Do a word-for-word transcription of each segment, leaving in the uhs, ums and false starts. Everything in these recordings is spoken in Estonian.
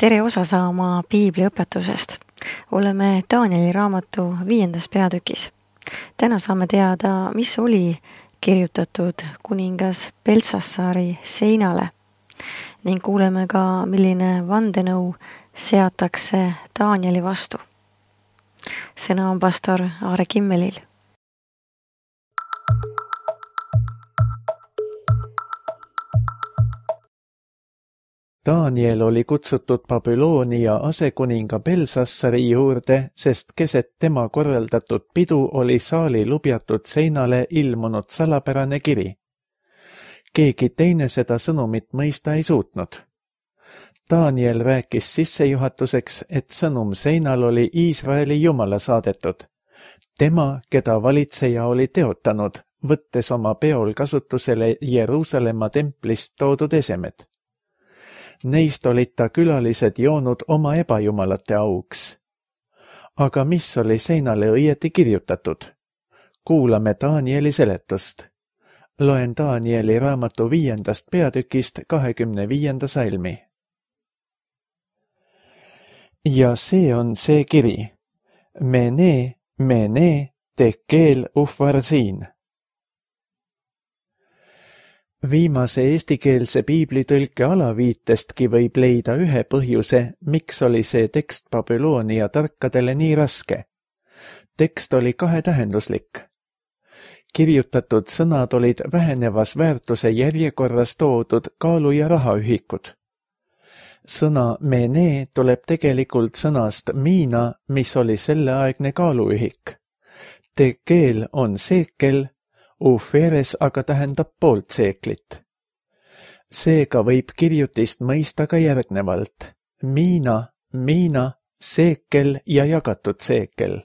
Tere osa saama Piibli õpetusest. Oleme Danieli raamatu viiendas peatükis. Täna saame teada, mis oli kirjutatud kuningas Beltsassari seinale ning kuuleme ka, milline vandenõu seatakse Danieli vastu. Sõna on pastor Aare Kimmelil. Daniel oli kutsutud Babyloonia asekuninga Beltsassari juurde, sest keset tema korraldatud pidu oli saali lubjatud seinale ilmunud salapärane kiri. Keegi teine seda sõnumit mõista ei suutnud. Daniel rääkis sissejuhatuseks, et sõnum seinal oli Iisraeli Jumala saadetud. Tema, keda valitseja oli teotanud, võttes oma peol kasutusele Jeruusalemma templist toodud esemed. Neist olid ta külalised joonud oma ebajumalate auks. Aga mis oli seinale õieti kirjutatud? Kuulame Danieli seletust. Loen Danieli raamatu viiendast peatükist kahekümne viienda salmi. Ja see on see kiri. Mene, mene, tekel ufarsiin. Viimase eestikeelse piiblitõlke alaviitestki võib leida ühe põhjuse, miks oli see tekst Babyloonia tarkadele nii raske. Tekst oli kahetähenduslik. Kirjutatud sõnad olid vähenevas väärtuse järjekorras toodud kaalu- ja rahaühikud. Sõna mene tuleb tegelikult sõnast miina, mis oli selleaegne kaaluühik. Tekel on seekel, uferes aga tähendab poolt seeklit. Seega võib kirjutist mõista ka järgnevalt. Miina, miina, seekel ja jagatud seekel.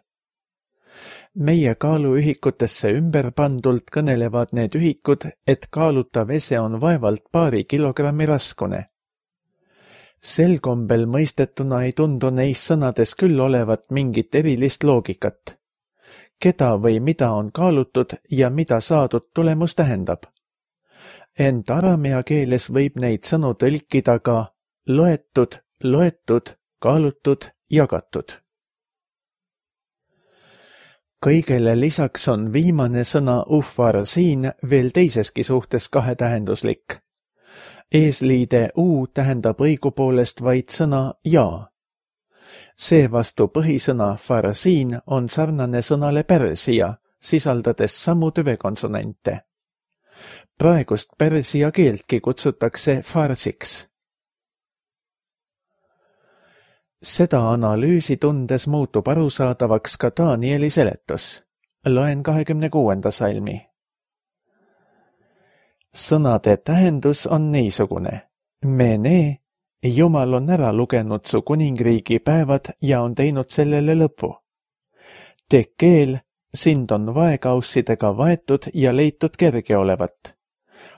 Meie kaaluühikutesse ümberpandult kõnelevad need ühikud, et kaalutav ese on vaevalt paari kilogrammi raskune. Sel kombel mõistetuna ei tundu neis sõnades küll olevat mingit erilist loogikat. Keda või mida on kaalutud ja mida saadud tulemus tähendab. Ent aramea keeles võib neid sõnu tõlkida ka loetud, loetud, kaalutud, jagatud. Kõigele lisaks on viimane sõna ufar siin veel teiseski suhtes kahetähenduslik. Eesliide u tähendab õigupoolest vaid sõna ja. Seevastu põhisõna farsiin on sarnane sõnale Pärsia, sisaldades samu tüvekonsonante. Praegust pärsia keeltki kutsutakse farsiks. Seda analüüsi tundes muutub arusaadavaks ka Danieli seletus. Loen kahekümne kuuenda salmi. Sõnade tähendus on niisugune. Mene, Jumal on ära lugenud su kuningriigi päevad ja on teinud sellele lõpu. Tekel, sind on vaekaussidega vaetud ja leitud kerge olevat.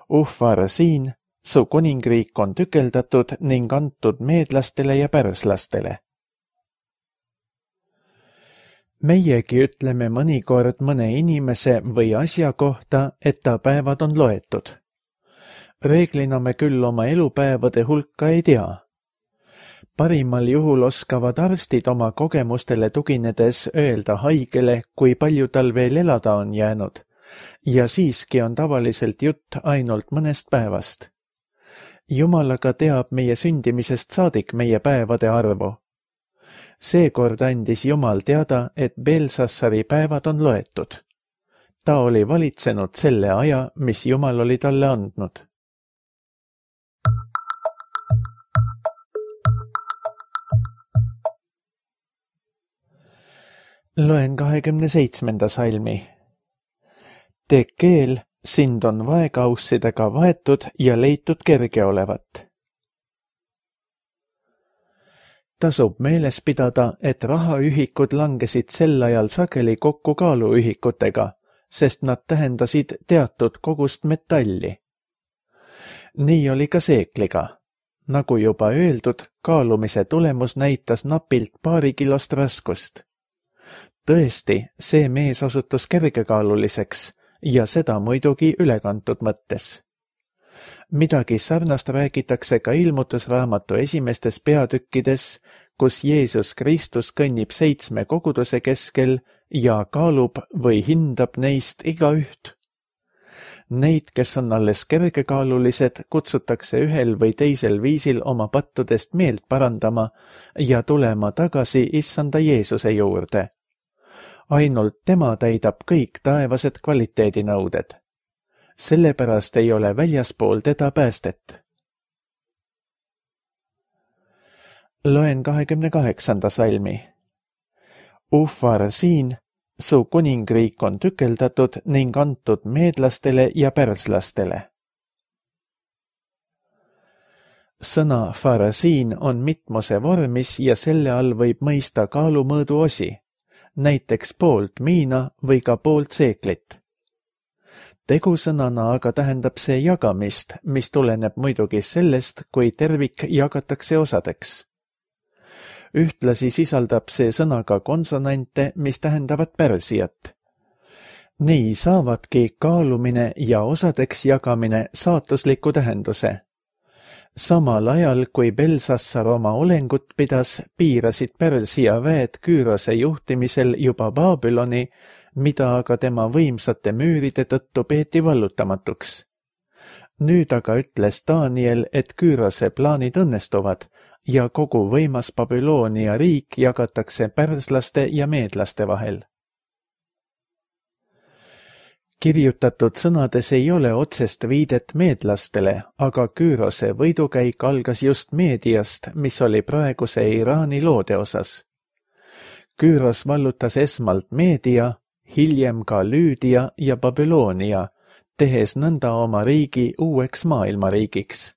Ufar siin, su kuningriik on tükeldatud ning antud meedlastele ja pärslastele. Meiegi ütleme mõnikord mõne inimese või asja kohta, et ta päevad on loetud. Reeglina me küll oma elupäevade hulka ei tea. Parimal juhul oskavad arstid oma kogemustele tuginedes öelda haigele, kui palju tal veel elada on jäänud, ja siiski on tavaliselt jutt ainult mõnest päevast. Jumal aga teab meie sündimisest saadik meie päevade arvu. Seekord andis Jumal teada, et Beltsassari päevad on loetud. Ta oli valitsenud selle aja, mis Jumal oli talle andnud. Loen kahekümne seitsmenda salmi. Tekel, sind on vaekaussidega vaetud ja leitud kerge olevat. Tasub meeles pidada, et rahaühikud langesid sel ajal sageli kokku kaaluühikutega, sest nad tähendasid teatud kogust metalli. Nii oli ka seekliga. Nagu juba öeldud, kaalumise tulemus näitas napilt paari kilost raskust. Tõesti, see mees osutus kergekaaluliseks ja seda muidugi ülekantud mõttes. Midagi sarnast räägitakse ka ilmutusraamatu esimestes peatükkides, kus Jeesus Kristus kõnnib seitsme koguduse keskel ja kaalub või hindab neist igaüht. Neid, kes on alles kergekaalulised, kutsutakse ühel või teisel viisil oma pattudest meelt parandama ja tulema tagasi issanda Jeesuse juurde. Ainult tema täidab kõik taevased kvaliteedinõuded. Sellepärast ei ole väljaspool teda päästet. Loen kahekümne kaheksanda salmi. Ufar siin, su kuningriik on tükeldatud ning antud meedlastele ja pärslastele. Sõna farasiin on mitmuse vormis ja selle all võib mõista kaalumõõdu osi, näiteks poolt miina või ka poolt seeklit. Tegusõnana aga tähendab see jagamist, mis tuleneb muidugi sellest, kui tervik jagatakse osadeks. Ühtlasi sisaldab see sõna ka konsonante, mis tähendavad pärsijat. Nii saavadki kaalumine ja osadeks jagamine saatusliku tähenduse. Samal ajal, kui Belsassar oma olengut pidas, piirasid Pärsia väed Küürose juhtimisel juba Babyloni, mida aga tema võimsate müüride tõttu peeti vallutamatuks. Nüüd aga ütles Daniel, et Küürose plaanid õnnestuvad ja kogu võimas Babyloonia riik jagatakse pärslaste ja meedlaste vahel. Kirjutatud sõnades ei ole otsest viidet meedlastele, aga Küürose võidukäik algas just Meediast, mis oli praeguse Iraani loode osas. Küüros vallutas esmalt Meedia, hiljem ka Lüüdia ja Babyloonia, tehes nõnda oma riigi uueks maailmariigiks.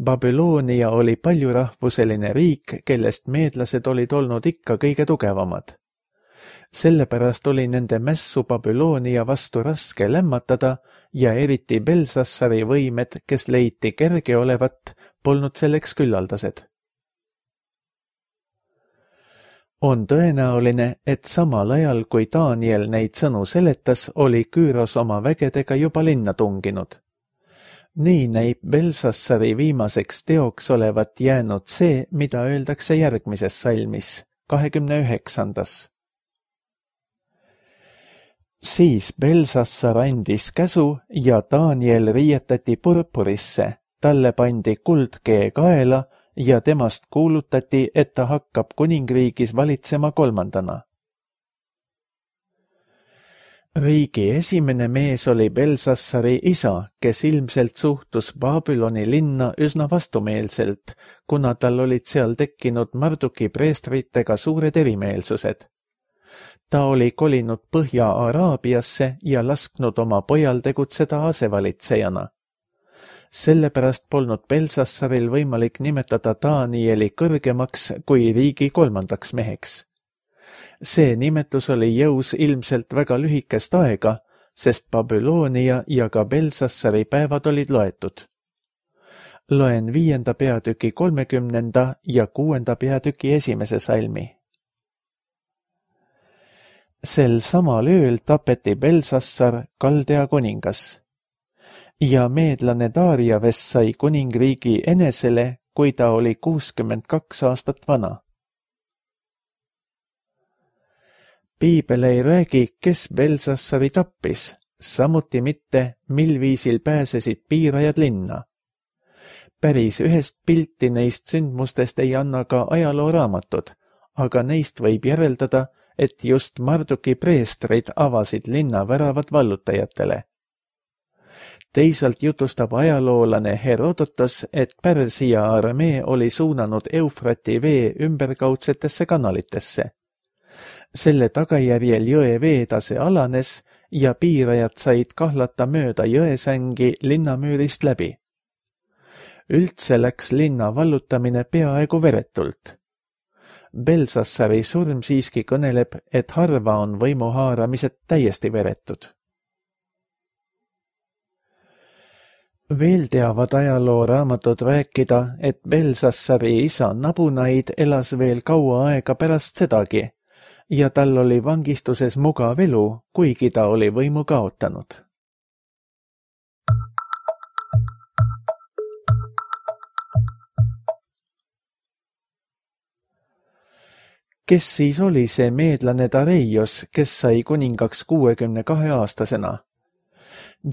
Babyloonia oli paljurahvuseline riik, kellest meedlased olid olnud ikka kõige tugevamad. Sellepärast oli nende mässu Babyloonia vastu raske lämmatada ja eriti Belsassari võimed, kes leiti kerge olevat, polnud selleks küllaldased. On tõenäoline, et samal ajal, kui Daniel neid sõnu seletas, oli Küüros oma vägedega juba linna tunginud. Nii näib Belsassari viimaseks teoks olevat jäänud see, mida öeldakse järgmises salmis, kahekümne üheksandas. Siis Belsassar andis käsu ja Daniel riietati purpurisse, talle pandi kuldkee kaela ja temast kuulutati, et ta hakkab kuningriigis valitsema kolmandana. Riigi esimene mees oli Belsassari isa, kes ilmselt suhtus Babyloni linna üsna vastumeelselt, kuna tal olid seal tekkinud Marduki preestritega suured erimeelsused. Ta oli kolinud Põhja-Araabiasse ja lasknud oma pojal tegutseda asevalitsejana. Sellepärast polnud Belsassaril võimalik nimetada Danieli kõrgemaks kui riigi kolmandaks meheks. See nimetus oli jõus ilmselt väga lühikest aega, sest Babyloonia ja ka Belsassari päevad olid loetud. Loen viienda peatüki kolmekümnenda ja kuuenda peatüki esimese salmi. Sel samal ööl tapeti Belsassar, Kaldea kuningas. Ja meedlane Dariaves sai kuningriigi enesele, kui ta oli kuuskümmend kaks aastat vana. Piibel ei räägi, kes Belsassari tappis, samuti mitte, mil viisil pääsesid piirajad linna. Päris ühest pilti neist sündmustest ei anna ka ajalooraamatud, aga neist võib järeldada, et just Marduki preestrid avasid linna väravad vallutajatele. Teisalt jutustab ajaloolane Herodotos, et Pärsia armee oli suunanud Eufrati vee ümberkaudsetesse kanalitesse. Selle tagajärjel jõe veetase alanes ja piirajad said kahlata mööda jõesängi linnamüürist läbi. Üldse läks linna vallutamine peaaegu veretult. Belsassari surm siiski kõneleb, et harva on võimuhaaramised täiesti veretud. Veel teavad ajalooraamatud rääkida, et Belsassari isa Nabunaid elas veel kaua aega pärast sedagi ja tal oli vangistuses mugav elu, kuigi ta oli võimu kaotanud. kes siis oli see meedlane Dareios, kes sai kuningaks kuuekümne kahe aastasena?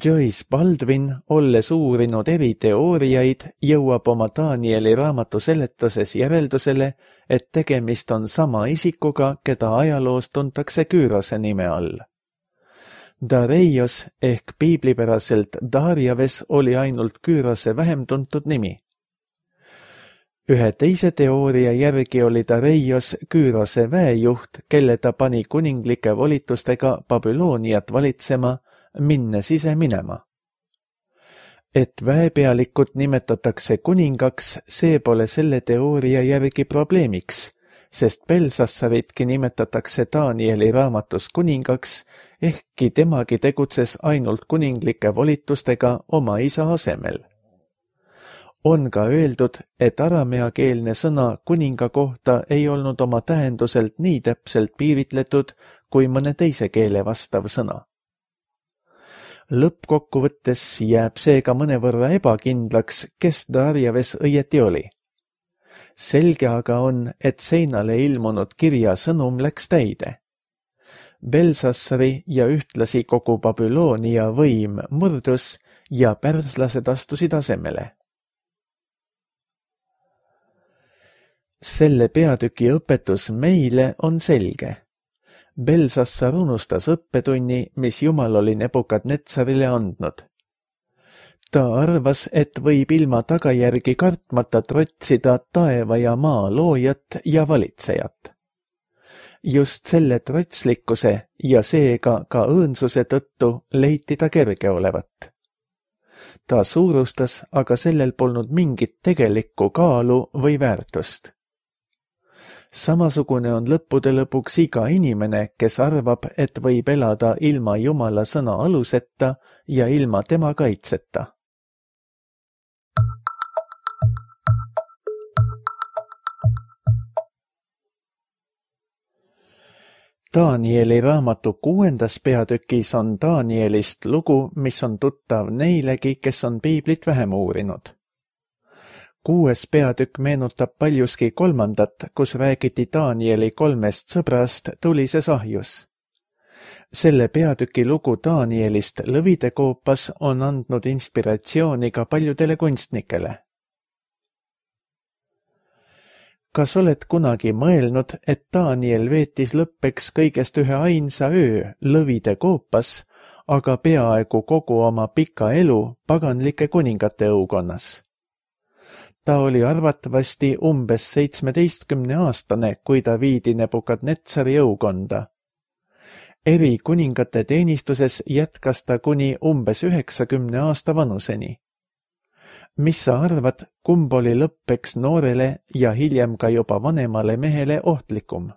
Joyce Baldwin, olles uurinud eri teooriaid, jõuab oma Danieli raamatu seletuses järeldusele, et tegemist on sama isikuga, keda ajaloos tuntakse Küürose nime all. Dareios ehk piiblipäraselt Darjaves oli ainult Küürose vähem tuntud nimi. Ühe teise teooria järgi oli Dareios Küürose väejuht, kelle ta pani kuninglike volitustega Babyloniat valitsema, minnes ise minema. Et väepealikut nimetatakse kuningaks, see pole selle teooria järgi probleemiks, sest Belsassaritki nimetatakse Danieli raamatus kuningaks, ehkki temagi tegutses ainult kuninglike volitustega oma isa asemel. On ka öeldud, et arameakeelne sõna kuninga kohta ei olnud oma tähenduselt nii täpselt piiritletud kui mõne teise keele vastav sõna. Lõppkokkuvõttes jääb seega mõnevõrra ebakindlaks, kes Darjaves õieti oli. Selge aga on, et seinale ilmunud kirja sõnum läks täide. Belsassari ja ühtlasi kogu Babyloonia võim murdus ja pärslased astusid asemele. Selle peatüki õpetus meile on selge. Belsassar unustas õppetunni, mis Jumal oli Nebukadnetsarile andnud. Ta arvas, et võib ilma tagajärgi kartmata trotsida taeva ja maa loojat ja valitsejat. Just selle trotslikkuse ja seega ka õõnsuse tõttu leiti ta kerge olevat. Ta suurustas, aga sellel polnud mingit tegelikku kaalu või väärtust. Samasugune on lõppude lõpuks iga inimene, kes arvab, et võib elada ilma Jumala sõna aluseta ja ilma tema kaitseta. Danieli raamatu kuuendas peatükis on Danielist lugu, mis on tuttav neilegi, kes on piiblit vähem uurinud. Kuues peatükk meenutab paljuski kolmandat, kus räägiti Danieli kolmest sõbrast tulises ahjus. Selle peatüki lugu Danielist lõvide koopas on andnud inspiratsiooni ka paljudele kunstnikele. Kas oled kunagi mõelnud, et Daniel veetis lõppeks kõigest ühe ainsa öö lõvide koopas, aga peaaegu kogu oma pika elu paganlike kuningate õukonnas? Ta oli arvatavasti umbes seitsmeteistkümne aastane, kui ta viidi Nebukadnetsari õukonda. Eri kuningate teenistuses jätkas ta kuni umbes üheksakümne aasta vanuseni. Mis sa arvad, kumb oli lõppeks noorele ja hiljem ka juba vanemale mehele ohtlikum?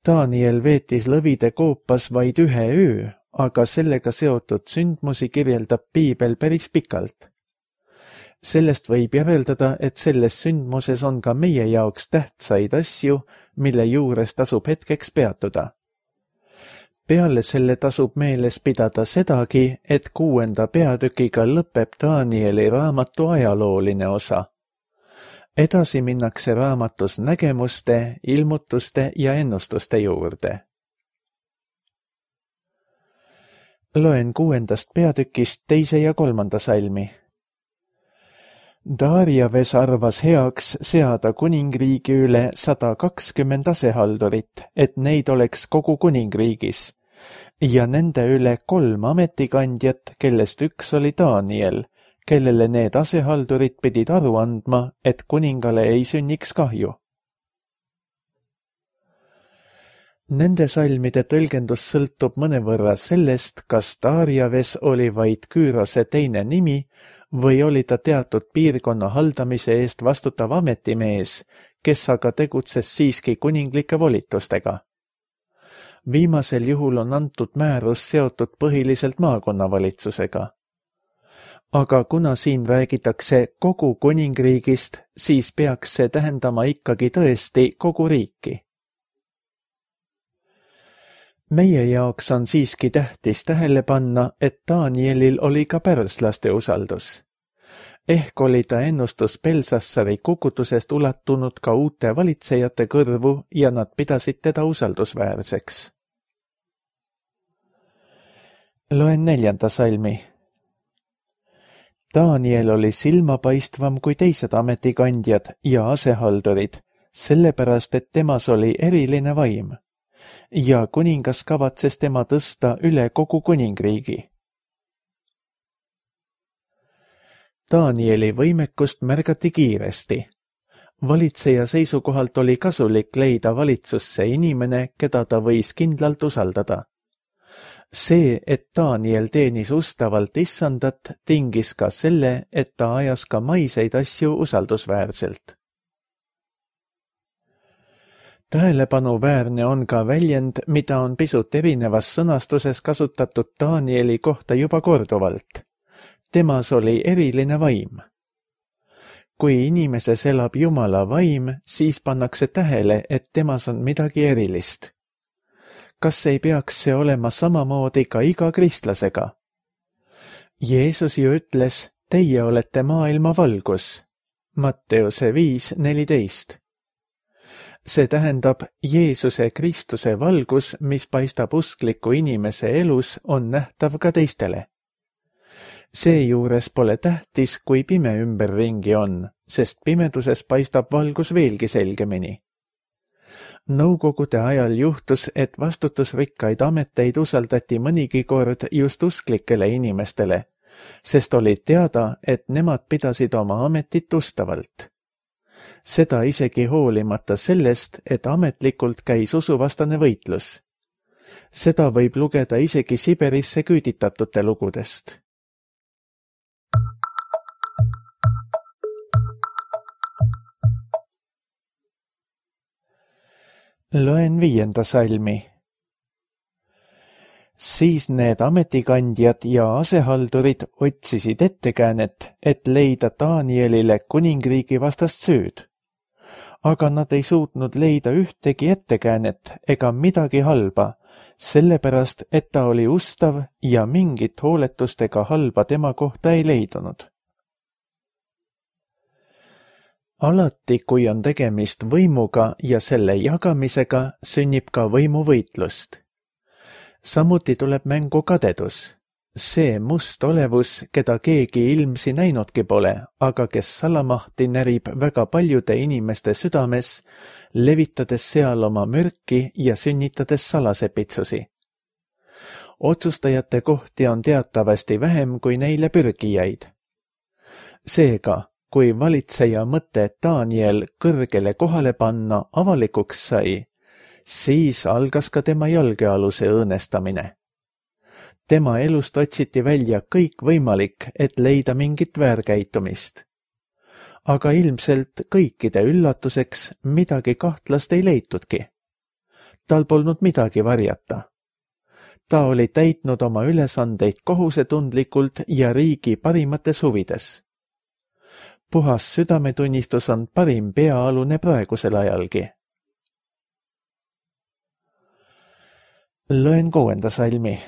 Daniel veetis lõvide koopas vaid ühe öö, aga sellega seotud sündmusi kirjeldab piibel päris pikalt. Sellest võib järeldada, et selles sündmuses on ka meie jaoks tähtsaid asju, mille juures tasub hetkeks peatuda. Peale selle tasub meeles pidada sedagi, et kuuenda peatükiga lõpeb Danieli raamatu ajalooline osa. Edasi minnakse raamatus nägemuste, ilmutuste ja ennustuste juurde. Loen kuuendast peatükist teise ja kolmanda salmi. Darjaves arvas heaks seada kuningriigi üle sada kakskümmend asehaldurit, et neid oleks kogu kuningriigis, ja nende üle kolm ametikandjat, kellest üks oli Daniel, kellele need asehaldurid pidid aru andma, et kuningale ei sünniks kahju. Nende salmide tõlgendus sõltub mõnevõrra sellest, kas Darjaves oli vaid Küürose teine nimi või oli ta teatud piirkonna haldamise eest vastutav ametimees, kes aga tegutses siiski kuninglike volitustega. Viimasel juhul on antud määrus seotud põhiliselt maakonnavalitsusega. Aga kuna siin räägitakse kogu kuningriigist, siis peaks see tähendama ikkagi tõesti kogu riiki. Meie jaoks on siiski tähtis tähele panna, et Danielil oli ka pärslaste usaldus. Ehk oli ta ennustus Belsassari kukutusest ulatunud ka uute valitsejate kõrvu ja nad pidasid teda usaldusväärseks. Loen neljanda salmi. Daniel oli silmapaistvam kui teised ametikandjad ja asehaldurid, sellepärast et temas oli eriline vaim ja kuningas kavatses tema tõsta üle kogu kuningriigi. Danieli võimekust märgati kiiresti. Valitseja seisukohalt oli kasulik leida valitsusse inimene, keda ta võis kindlalt usaldada. See, et Daniel teenis ustavalt issandat, tingis ka selle, et ta ajas ka maiseid asju usaldusväärselt. Tähelepanuväärne on ka väljend, mida on pisut erinevas sõnastuses kasutatud Danieli kohta juba korduvalt. Temas oli eriline vaim. Kui inimeses elab Jumala vaim, siis pannakse tähele, et temas on midagi erilist. Kas ei peaks see olema samamoodi ka iga kristlasega? Jeesus ju ütles, teie olete maailma valgus. Matteuse viis neliteist. See tähendab, Jeesuse Kristuse valgus, mis paistab uskliku inimese elus, on nähtav ka teistele. Seejuures pole tähtis, kui pime ümberringi on, sest pimeduses paistab valgus veelgi selgemini. Nõukogude ajal juhtus, et vastutusrikkaid ameteid usaldati mõnigi kord just usklikele inimestele, sest oli teada, et nemad pidasid oma ametit ustavalt. Seda isegi hoolimata sellest, et ametlikult käis usuvastane võitlus. Seda võib lugeda isegi Siberisse küüditatute lugudest. Loen viienda salmi. Siis need ametikandjad ja asehaldurid otsisid ettekäänet, et leida Danielile kuningriigi vastast süüd. Aga nad ei suutnud leida ühtegi ettekäänet ega midagi halba, sellepärast, et ta oli ustav ja mingit hooletust ega halba tema kohta ei leidunud. Alati, kui on tegemist võimuga ja selle jagamisega, sünnib ka võimuvõitlust. Samuti tuleb mängu kadedus. See must olevus, keda keegi ilmsi näinudki pole, aga kes salamahti närib väga paljude inimeste südames, levitades seal oma mürki ja sünnitades salasepitsusi. Otsustajate kohti on teatavasti vähem kui neile pürgijaid. Seega, kui valitseja mõte Daniel kõrgele kohale panna avalikuks sai, siis algas ka tema jalgealuse õõnestamine. Tema elust otsiti välja kõik võimalik, et leida mingit väärkäitumist. Aga ilmselt kõikide üllatuseks midagi kahtlast ei leitudki. Tal polnud midagi varjata. Ta oli täitnud oma ülesandeid kohusetundlikult ja riigi parimates huvides. Puhas südametunnistus on parim peaalune praegusel ajalgi. Loen kuuenda salmi.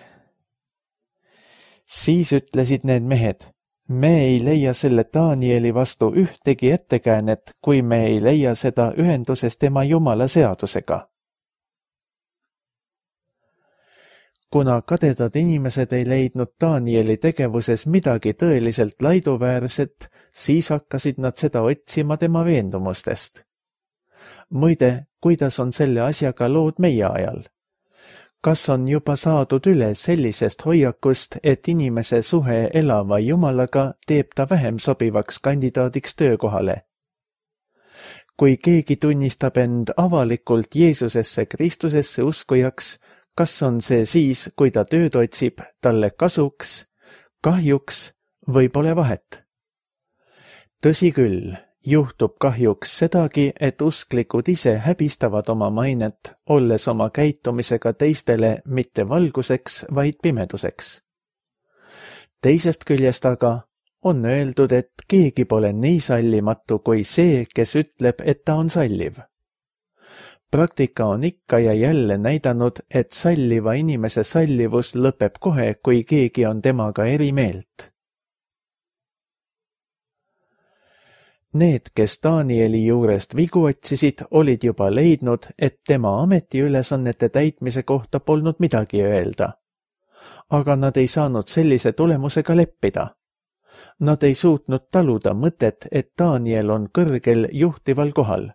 Siis ütlesid need mehed, me ei leia selle Danieli vastu ühtegi ettekäänet, kui me ei leia seda ühenduses tema Jumala seadusega. Kuna kadedad inimesed ei leidnud Danieli tegevuses midagi tõeliselt laiduväärset, siis hakkasid nad seda otsima tema veendumustest. Muide, kuidas on selle asjaga lood meie ajal? Kas on juba saadud üle sellisest hoiakust, et inimese suhe elava Jumalaga teeb ta vähem sobivaks kandidaadiks töökohale? Kui keegi tunnistab end avalikult Jeesusesse Kristusesse uskujaks, kas on see siis, kui ta tööd otsib, talle kasuks, kahjuks või pole vahet? Tõsi küll, juhtub kahjuks sedagi, et usklikud ise häbistavad oma mainet, olles oma käitumisega teistele mitte valguseks, vaid pimeduseks. Teisest küljest aga on öeldud, et keegi pole nii sallimatu kui see, kes ütleb, et ta on salliv. Praktika on ikka ja jälle näidanud, et salliva inimese sallivus lõpeb kohe, kui keegi on temaga eri meelt. Need, kes Danieli juurest vigu otsisid, olid juba leidnud, et tema ametiülesannete täitmise kohta polnud midagi öelda. Aga nad ei saanud sellise tulemusega leppida. Nad ei suutnud taluda mõtet, et Daniel on kõrgel juhtival kohal.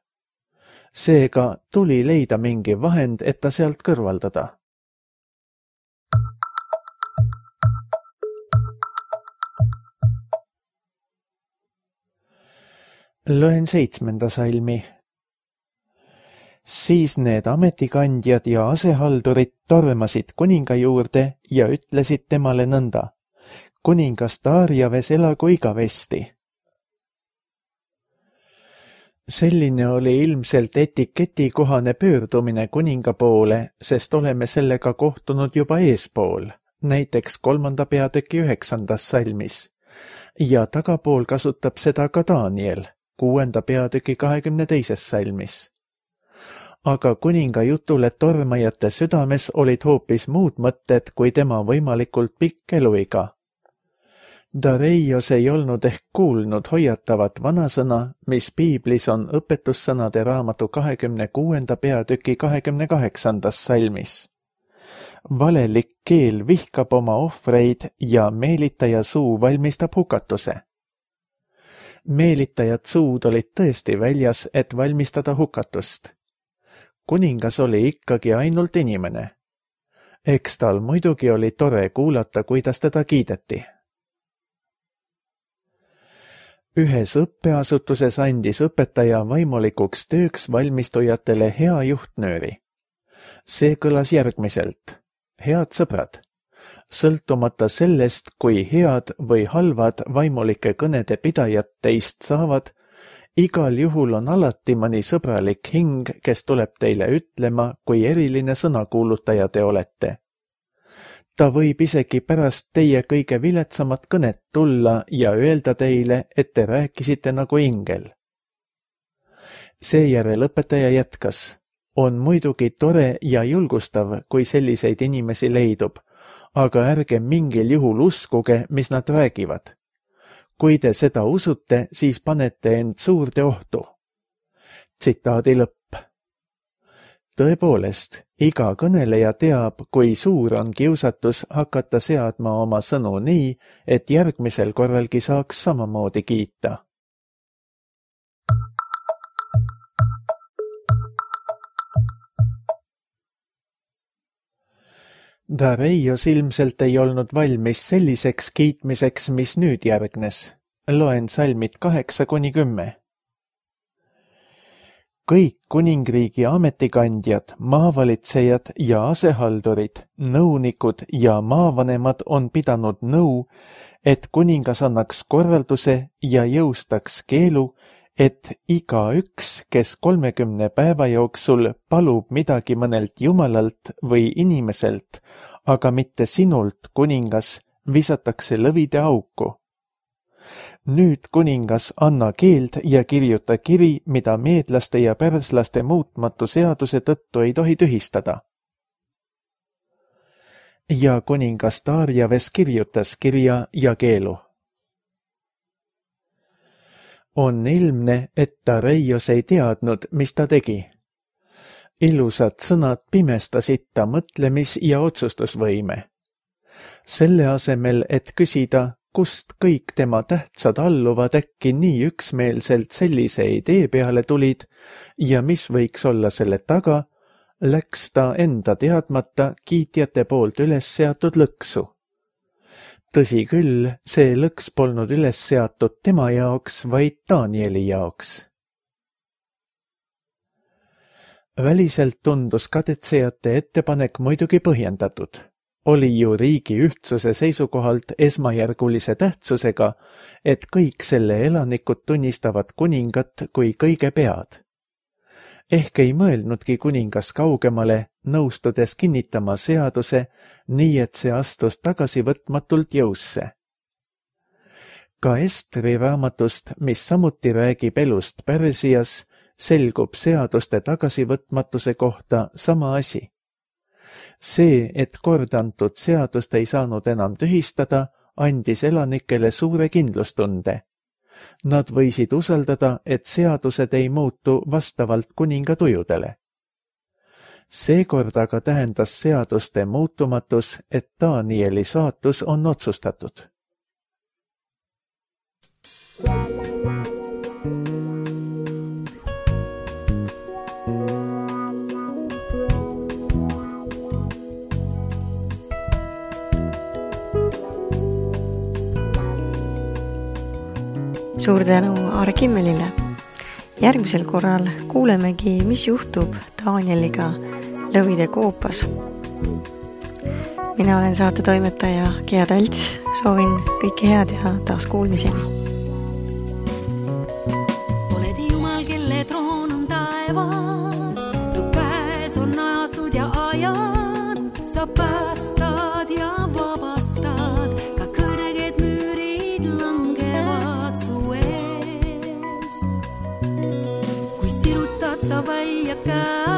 Seega tuli leida mingi vahend, et ta sealt kõrvaldada. Loen seitsmenda salmi. Siis need ametikandjad ja asehaldurid tormasid kuninga juurde ja ütlesid temale nõnda. Kuningas Darjaves elagu igavesti. Selline oli ilmselt etiketikohane pöördumine kuninga poole, sest oleme sellega kohtunud juba eespool, näiteks kolmanda peatüki üheksandas salmis. Ja tagapool kasutab seda ka Daniel, kuuenda peatüki kahekümne teises salmis. Aga kuninga jutule tormajate südames olid hoopis muud mõtted kui tema võimalikult pikk eluiga. Dareios ei olnud ehk kuulnud hoiatavat vanasõna, mis piiblis on õpetussõnade raamatu kahekümne kuuenda peatüki kahekümne kaheksandas salmis. Valelik keel vihkab oma ohvreid ja meelitaja suu valmistab hukatuse. Meelitajad suud olid tõesti väljas, et valmistada hukatust. Kuningas oli ikkagi ainult inimene. Eks tal muidugi oli tore kuulata, kuidas teda kiideti. Ühes õppeasutuses andis õpetaja vaimulikuks tööks valmistujatele hea juhtnööri. See kõlas järgmiselt. Head sõbrad, sõltumata sellest, kui head või halvad vaimulike kõnede pidajad teist saavad, igal juhul on alati mõni sõbralik hing, kes tuleb teile ütlema, kui eriline sõnakuulutaja te olete. Ta võib isegi pärast teie kõige viletsamat kõnet tulla ja öelda teile, et te rääkisite nagu ingel. Seejärel õpetaja jätkas. On muidugi tore ja julgustav, kui selliseid inimesi leidub, aga ärge mingil juhul uskuge, mis nad räägivad. Kui te seda usute, siis panete end suurde ohtu. Tsitaadi lõpp. Tõepoolest, iga kõneleja teab, kui suur on kiusatus hakata seadma oma sõnu nii, et järgmisel korralgi saaks samamoodi kiita. Dareios ilmselt ei olnud valmis selliseks kiitmiseks, mis nüüd järgnes. Loen salmid kaheksa kuni kümme. Kõik kuningriigi ametikandjad, maavalitsejad ja asehaldurid, nõunikud ja maavanemad on pidanud nõu, et kuningas annaks korralduse ja jõustaks keelu, et igaüks, kes kolmekümne päeva jooksul palub midagi mõnelt jumalalt või inimeselt, aga mitte sinult, kuningas, visatakse lõvide auku. Nüüd, kuningas, anna keeld ja kirjuta kiri, mida meedlaste ja pärslaste muutmatu seaduse tõttu ei tohi tühistada. Ja kuningas Darjaves kirjutas kirja ja keelu. On ilmne, et Dareios ei teadnud, mis ta tegi. Ilusad sõnad pimestasid ta mõtlemis- ja otsustusvõime. Selle asemel, et küsida, kust kõik tema tähtsad alluvad äkki nii üksmeelselt sellise idee peale tulid ja mis võiks olla selle taga, läks ta enda teadmata kiitjate poolt üles seatud lõksu. Tõsi küll, see lõks polnud üles seatud tema jaoks, vaid Danieli jaoks. Väliselt tundus kadetsejate ettepanek muidugi põhjendatud. Oli ju riigi ühtsuse seisukohalt esmajärgulise tähtsusega, et kõik selle elanikud tunnistavad kuningat kui kõige pead. Ehk ei mõelnudki kuningas kaugemale, nõustudes kinnitama seaduse, nii et see astus tagasivõtmatult jõusse. Ka Estri raamatust, mis samuti räägib elust Pärsias, selgub seaduste tagasivõtmatuse kohta sama asi. See, et kord antud seadust ei saanud enam tühistada, andis elanikele suure kindlustunde. Nad võisid usaldada, et seadused ei muutu vastavalt kuninga tujudele. Seekord aga tähendas seaduste muutumatus, et Danieli saatus on otsustatud. Suur tänu Aare Kimmelile. Järgmisel korral kuulemegi, mis juhtub Danieliga lõvide koopas. Mina olen saate toimetaja Gea Talts. Soovin kõike head ja taas kuulmiseni. Oled Jumal, kelle troon on taevas, su käes on ajastud ja ajad, sa päästad ja vabastad, ka kõrged müürid langevad su ees. Kui sirutad sa välja käe,